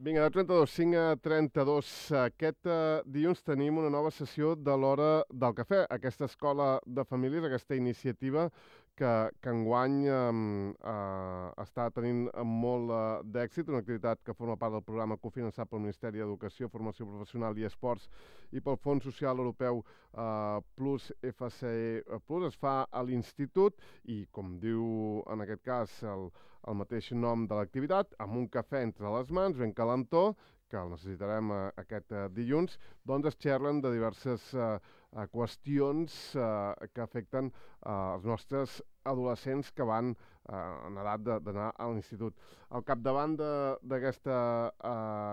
Vinga, de 32, 5 a 32. Aquest dilluns tenim una nova sessió de l'Hora del Cafè, aquesta escola de famílies, aquesta iniciativa que enguany està tenint molt d'èxit, una activitat que forma part del programa cofinançat pel Ministeri d'Educació, Formació Professional i Esports i pel Fons Social Europeu Plus FCE Plus. Es fa a l'Institut i, com diu en aquest cas el mateix nom de l'activitat, amb un cafè entre les mans, ben calentó, que el necessitarem aquest dilluns, doncs es xerren de diverses qüestions que afecten els nostres adolescents que van en edat d'anar a l'institut. Al capdavant d'aquesta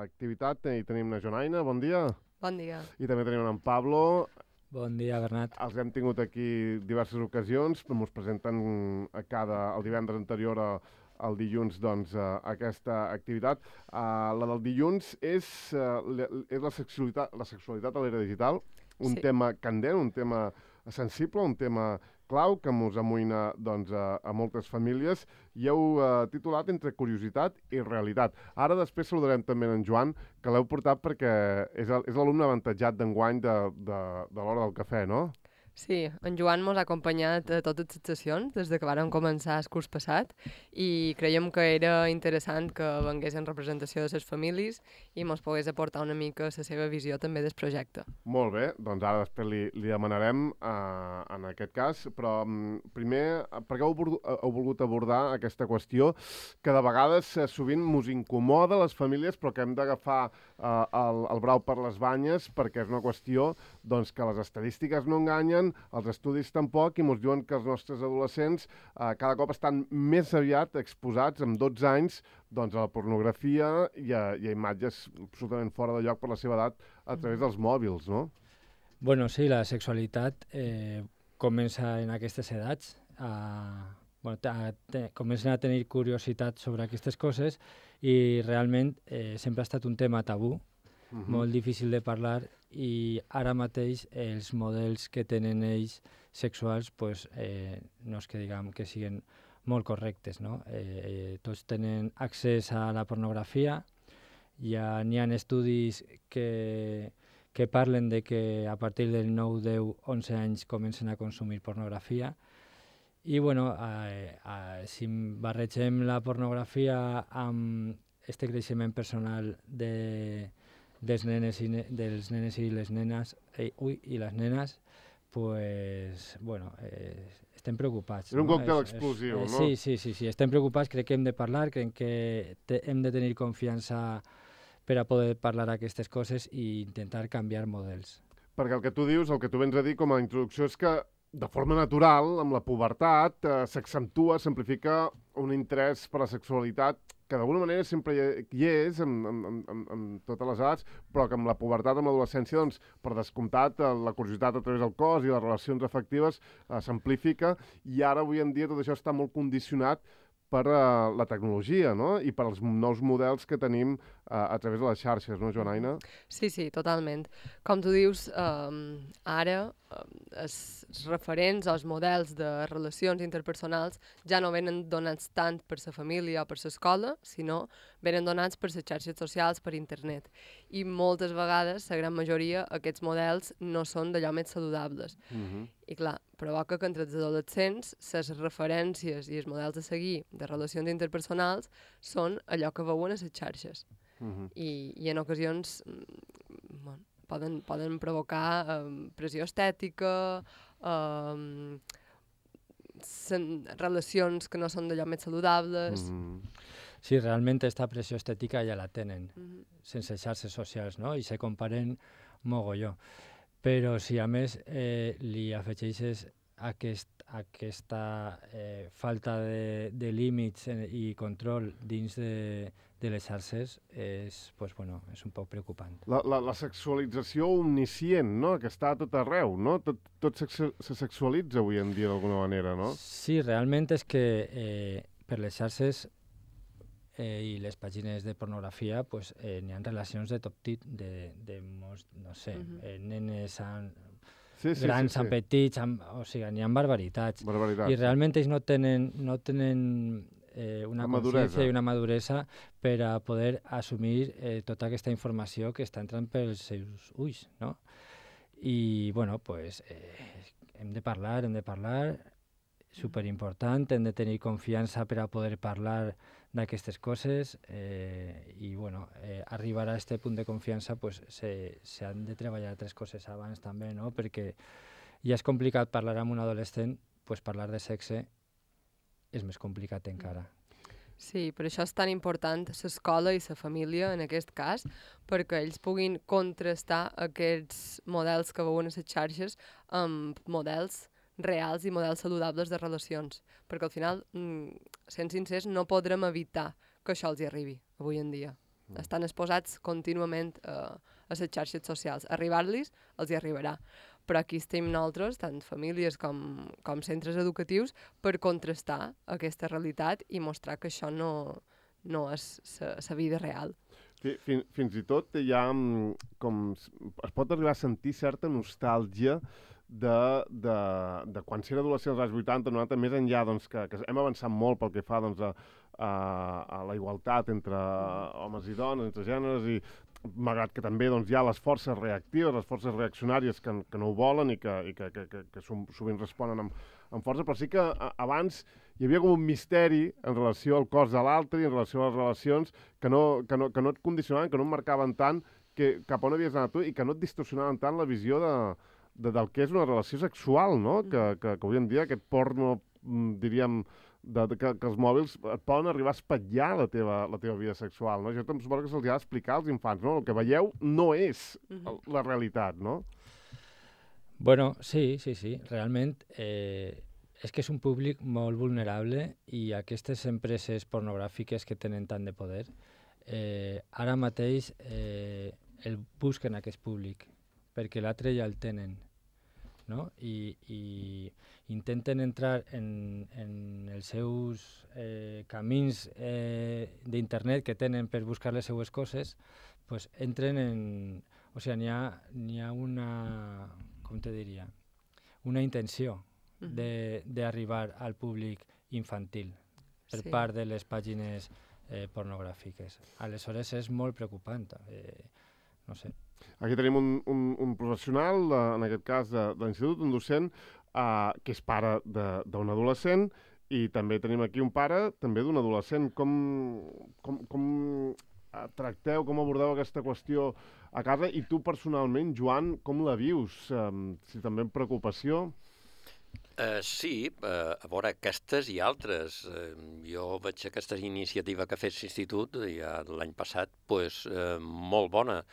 activitat hi tenim la Jonaina, bon dia. Bon dia. I també tenim en Pablo. Bon dia, Bernat. Els hem tingut aquí diverses ocasions, però ens presenten el divendres anterior el dilluns, doncs, aquesta activitat. La del dilluns és la sexualitat a l'era digital, un tema candent, un tema sensible, un tema clau que ens amoïna doncs, a moltes famílies, i heu titulat Entre curiositat i realitat. Ara després saludarem també en Joan, que l'heu portat perquè és l'alumne avantatjat d'enguany de l'Hora del Cafè, no? Sí, en Joan mos ha acompanyat a totes les sessions des de que vàrem començar el curs passat i creiem que era interessant que vengués en representació de les famílies i mos pogués aportar una mica la seva visió també del projecte. Molt bé, doncs ara després li demanarem en aquest cas, però primer, per què heu volgut abordar aquesta qüestió que de vegades sovint mos incomoda a les famílies però que hem d'agafar el brau per les banyes perquè és una qüestió doncs, que les estadístiques no enganyen, els estudis tampoc, i ens diuen que els nostres adolescents cada cop estan més aviat exposats, amb 12 anys, doncs, a la pornografia i a imatges absolutament fora de lloc per la seva edat a través dels mòbils, no? Bueno, sí, la sexualitat comença en aquestes edats, comencen a tenir curiositat sobre aquestes coses i realment sempre ha estat un tema tabú, molt difícil de parlar, i ara mateix els models que tenen ells sexuals pues, no és que diguem que siguin molt correctes, no? Tots tenen accés a la pornografia, n'hi ha estudis que parlen de que a partir del 9, 10, 11 anys comencen a consumir pornografia i bueno, si barregem la pornografia amb este creixement personal dels nenes i les nenes i les nenes, pues, bueno, estem preocupats. És un còctel explosiu, no? Sí, estem preocupats, crec que hem de parlar, crec que hem de tenir confiança per a poder parlar aquestes coses i intentar canviar models. Perquè el que tu dius, el que tu vens a dir com a introducció és que de forma natural, amb la pubertat, s'accentua, s'amplifica un interès per la sexualitat que d'alguna manera sempre hi és en totes les edats, però que amb la pubertat, amb l'adolescència, doncs, per descomptat, la curiositat a través del cos i les relacions afectives s'amplifica, i ara, avui en dia, tot això està molt condicionat per la tecnologia, no? I per als nous models que tenim a través de les xarxes, no, Joanaina? Sí, totalment. Com tu dius, ara els referents, els models de relacions interpersonals ja no venen donats tant per la família o per l'escola, sinó venen donats per les xarxes socials, per internet. I moltes vegades, la gran majoria, aquests models no són d'allò més saludables. I clar, provoca que entre els adolescents les referències i els models a seguir de relacions interpersonals són allò que veuen a les xarxes. I en ocasions poden provocar pressió estètica, relacions que no són d'allò més saludables. Sí, realment aquesta pressió estètica ja la tenen, sense xarxes socials, no? I se comparen mogolló. Però si a més li afegeixes aquesta falta de límits i control dins de les xarxes, és un poc preocupant. La sexualització omniscient, no?, que està a tot arreu, no? Tot se sexualitza avui en dia d'alguna manera, no? Sí, realment és que per les xarxes i les pàgines de pornografia n'hi ha relacions de tot tipus, de molts, no sé, nenes grans, amb petits, o sigui, n'hi ha barbaritats. I realment ells no tenen una maduresa. consciència i una maduresa per a poder assumir tota aquesta informació que està entrant pels seus ulls, no? I, bueno, pues, hem de parlar, superimportant, hem de tenir confiança per a poder parlar d'aquestes coses i, bueno, arribar a aquest punt de confiança pues, s'han de treballar altres coses abans també, no? Perquè ja és complicat parlar amb un adolescent, pues parlar de sexe és més complicat encara. Sí, per això és tan important l'escola i la família, en aquest cas, perquè ells puguin contrastar aquests models que veuen a les xarxes amb models reals i models saludables de relacions. Perquè al final, sent sincers, no podrem evitar que això els hi arribi avui en dia. Estan exposats contínuament a les xarxes socials. Arribar-los els hi arribarà. Però aquí estem nosaltres, tant famílies com centres educatius, per contrastar aquesta realitat i mostrar que això no és la vida real. Fins i tot hi ha es pot arribar a sentir certa nostàlgia de quan s'era adolescent als anys 80, 90, més enllà doncs, que hem avançat molt pel que fa doncs, a la igualtat entre homes i dones, entre gèneres, i malgrat que també doncs, hi ha les forces reactives, les forces reaccionàries que no ho volen i que sovint responen amb força, però sí que abans hi havia com un misteri en relació al cos de l'altre i en relació a les relacions que no et condicionaven, que no et marcaven tant cap on havies anat tu i que no et distorsionaven tant la visió del que és una relació sexual, no? Que avui en dia aquest porno, diríem, que els mòbils et poden arribar a espatllar la teva vida sexual, no? Jo també suposo que se'ls ha d'explicar als infants, no? El que veieu no és la realitat, no? Bueno, sí. Realment és que és un públic molt vulnerable i aquestes empreses pornogràfiques que tenen tant de poder, ara mateix el busquen aquest públic, perquè l'altre ja el tenen, no? I intenten entrar en els seus camins d'internet que tenen per buscar les seues coses, pues entren en... O sigui, n'hi ha una... Com te diria? Una intenció d'arribar al públic infantil per part de les pàgines pornogràfiques. Aleshores és molt preocupant. No sé. Aquí tenim un professional, en aquest cas de l'institut, un docent, que és pare d'un adolescent, i també tenim aquí un pare també d'un adolescent. Com tracteu, com abordeu aquesta qüestió a casa? I tu personalment, Joan, com la vius? Si també amb preocupació? Sí, a veure, aquestes i altres. Jo veig aquesta iniciativa que ha fet l'Institut ja l'any passat molt bona,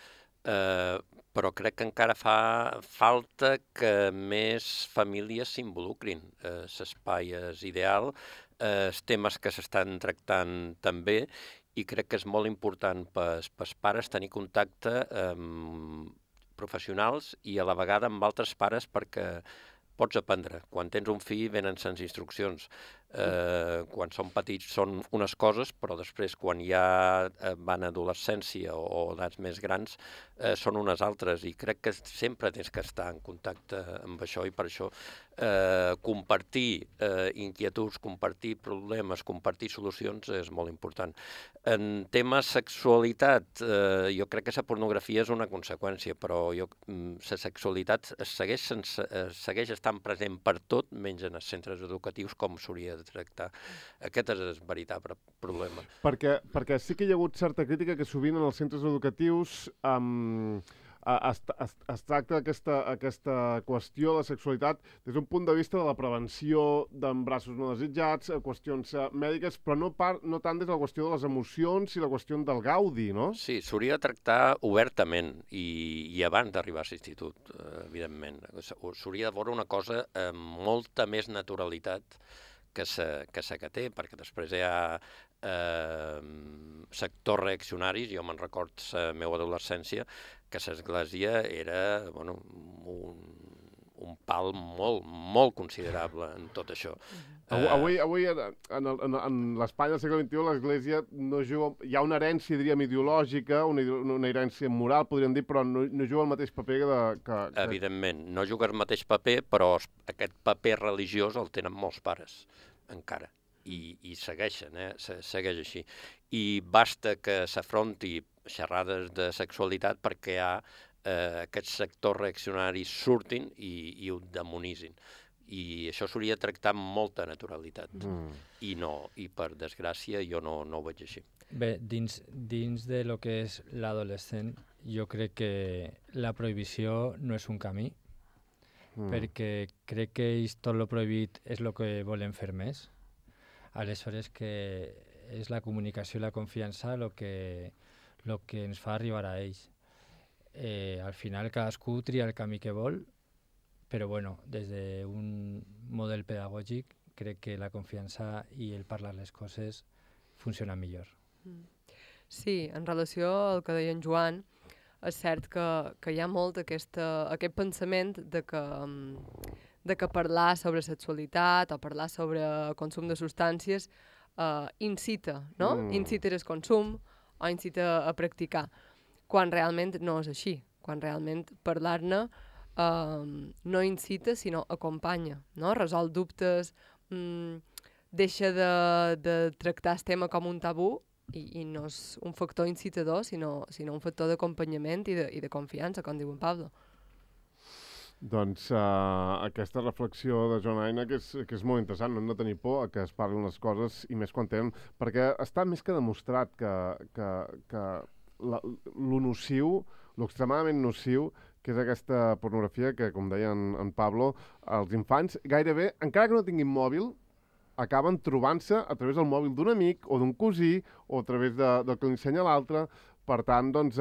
però crec que encara fa falta que més famílies s'involucrin. L'espai és ideal, els temes que s'estan tractant també, i crec que és molt important pels pares tenir contacte amb professionals i a la vegada amb altres pares perquè pots aprendre. Quan tens un fill venen sense instruccions. Quan són petits són unes coses, però després quan ja van a adolescència o edats més grans són unes altres, i crec que sempre tens que estar en contacte amb això, i per això compartir inquietuds, compartir problemes, compartir solucions és molt important. En tema sexualitat, jo crec que la pornografia és una conseqüència, però la sexualitat segueix estant present per tot, menys en els centres educatius, com s'hauria de tractar. Aquest és el veritable problema. Perquè sí que hi ha hagut certa crítica que sovint en els centres educatius es tracta aquesta qüestió de sexualitat des d'un punt de vista de la prevenció d'embarassos no desitjats, qüestions mèdiques, però no tant des de la qüestió de les emocions i la qüestió del gaudi, no? Sí, s'hauria de tractar obertament i abans d'arribar a l'institut, evidentment. S'hauria de veure una cosa amb molta més naturalitat que que té, perquè després hi ha sectors reaccionaris. Jo me'n record la meva adolescència que l'església era un pal molt considerable en tot això. Avui en l'Espanya del segle XXI, l'església no juga... Hi ha una herència, diríem, ideològica, una herència moral, podríem dir, però no juga el mateix paper que... Evidentment, no juga el mateix paper, però aquest paper religiós el tenen molts pares, encara. i segueixen, segueix així. I basta que s'afronti xerrades de sexualitat perquè aquests sectors reaccionaris surtin i ho demonitzin. I això s'hauria de tractar amb molta naturalitat. I no, i per desgràcia jo no ho veig així. Bé, dins de lo que és l'adolescent, jo crec que la prohibició no és un camí, perquè crec que tot lo prohibit és el que volen fer més. Aleshores que és la comunicació i la confiança el que ens fa arribar a ells. Al final cadascú tria el camí que vol, però bueno, des d'un model pedagògic crec que la confiança i el parlar les coses funciona millor. Sí, en relació al que deia en Joan, és cert que hi ha molt aquest pensament de que parlar sobre sexualitat o parlar sobre consum de substàncies incita, no? Incita el consum o incita a practicar, quan realment no és així, quan realment parlar-ne no incita, sinó acompanya, no? Resol dubtes, deixa de tractar el tema com un tabú i no és un factor incitador, sinó un factor d'acompanyament i de confiança, com diu en Pablo. Doncs aquesta reflexió de Joan Aina que és molt interessant, no hem de tenir por a que es parlin les coses i més quan tenen, perquè està més que demostrat que lo nociu, lo extremadament nociu, que és aquesta pornografia que, com deia en Pablo, els infants gairebé, encara que no tinguin mòbil, acaben trobant-se a través del mòbil d'un amic o d'un cosí o a través del que li ensenya l'altre. Per tant, doncs,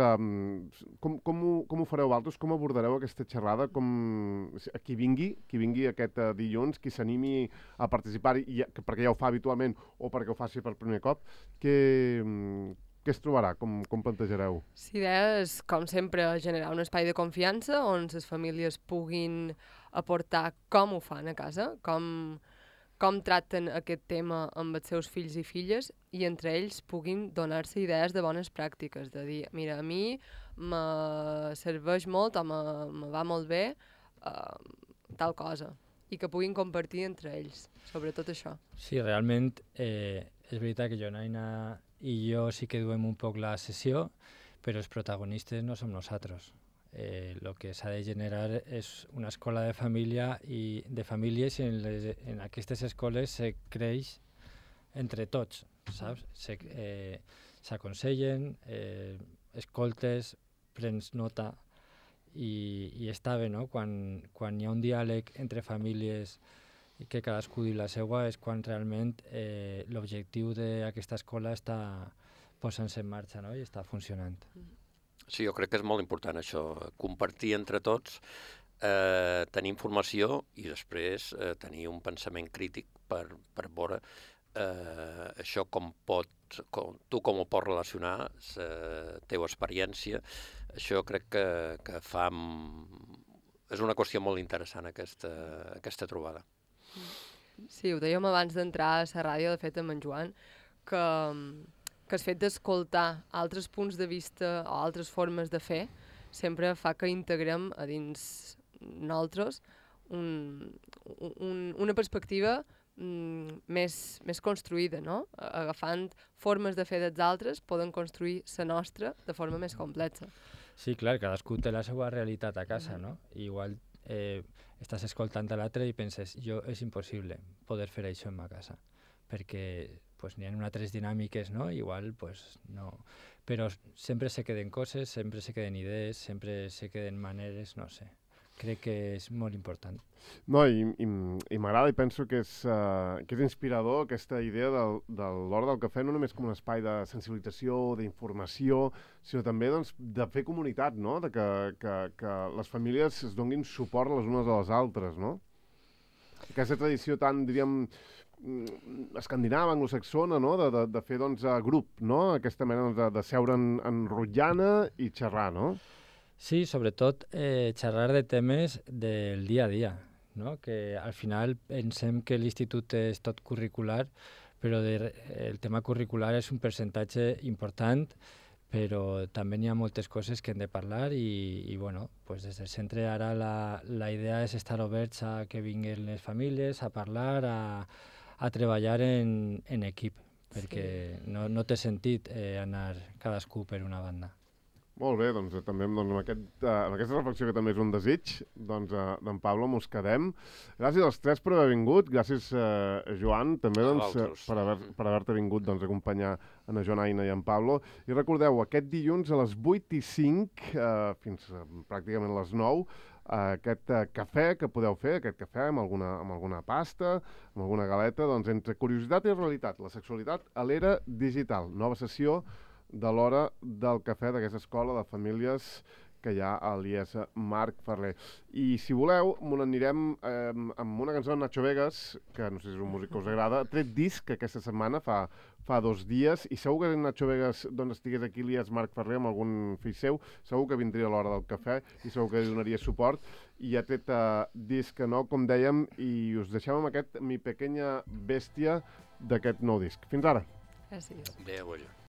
com ho fareu vosaltres? Com abordareu aquesta xerrada? Qui vingui aquest dilluns, qui s'animi a participar, perquè ja ho fa habitualment o perquè ho faci per primer cop, què es trobarà? Com plantejareu? L'idea és, com sempre, generar un espai de confiança on les famílies puguin aportar com ho fan a casa, com tracten aquest tema amb els seus fills i filles i entre ells puguin donar-se idees de bones pràctiques, de dir, mira, a mi me serveix molt o me va molt bé tal cosa, i que puguin compartir entre ells sobre tot això. Sí, realment és veritat que Jonaina i jo sí que duem un poc la sessió, però els protagonistes no som nosaltres. El que s'ha de generar és una escola de família i de famílies i en aquestes escoles se creix entre tots, saps? S'aconsellen, escoltes, prens nota i està bé, no? Quan hi ha un diàleg entre famílies i que cadascú diu la seva és quan realment l'objectiu d'aquesta escola està posant-se en marxa, no? I està funcionant. Sí, jo crec que és molt important això, compartir entre tots, tenir informació i després tenir un pensament crític per veure això tu com ho pots relacionar, la teva experiència. Això crec que és una qüestió molt interessant aquesta trobada. Sí, ho dèiem abans d'entrar a la ràdio, de fet, amb en Joan, que el fet d'escoltar altres punts de vista o altres formes de fer sempre fa que integrem a dins nosaltres una perspectiva més construïda, no? Agafant formes de fer dels altres poden construir la nostra de forma més complexa. Sí, clar, cadascú té la seva realitat a casa, no? Igual estàs escoltant a l'altre i penses, és impossible poder fer això en ma casa, perquè n'hi ha altres dinàmiques, no? Igual, no. Però sempre se queden coses, sempre se queden idees, sempre se queden maneres, no sé. Crec que és molt important. No, i m'agrada i penso que és inspirador aquesta idea de l'Hora del Cafè, no només com un espai de sensibilització, d'informació, sinó també doncs, de fer comunitat, no? De que les famílies es donin suport les unes a les altres, no? Aquesta tradició tan, diríem, escandinava, anglosaxona, no? De fer doncs, grup, no? Aquesta mena de seure en rotllana i xerrar, no? Sí, sobretot xerrar de temes del dia a dia, no? Que al final pensem que l'institut és tot curricular, però el tema curricular és un percentatge important, però també n'hi ha moltes coses que hem de parlar i bueno, des del centre ara la idea és estar oberts a que vinguin les famílies, a parlar, a a treballar en equip, perquè no té sentit anar cadascú per una banda. Molt bé, doncs també amb aquesta reflexió que també és un desig, doncs d'en Pablo mos quedem. Gràcies als tres per haver vingut, gràcies Joan també per haver-te vingut a acompanyar en Joan Aina i en Pablo. I recordeu, aquest dilluns a les 8:05 fins pràcticament les 9, aquest cafè que podeu fer, aquest cafè amb alguna pasta, amb alguna galeta, doncs entre curiositat i realitat, la sexualitat a l'era digital, nova sessió de l'hora del cafè d'aquesta escola de famílies que hi ha a l'IES Marc Ferrer. I si voleu, m'ho anirem amb una cançó de Nacho Vegas, que no sé si és un músic que us agrada, tret disc aquesta setmana, fa 2 dies, i segur que Nacho Vegas estigués aquí a l'IES Marc Ferrer amb algun fill seu, segur que vindria a l'hora del cafè i segur que li donaria suport. I ha tret disc nou, com dèiem, i us deixem amb aquest Mi Pequeña Bèstia d'aquest nou disc. Fins ara! Gràcies. Adéu,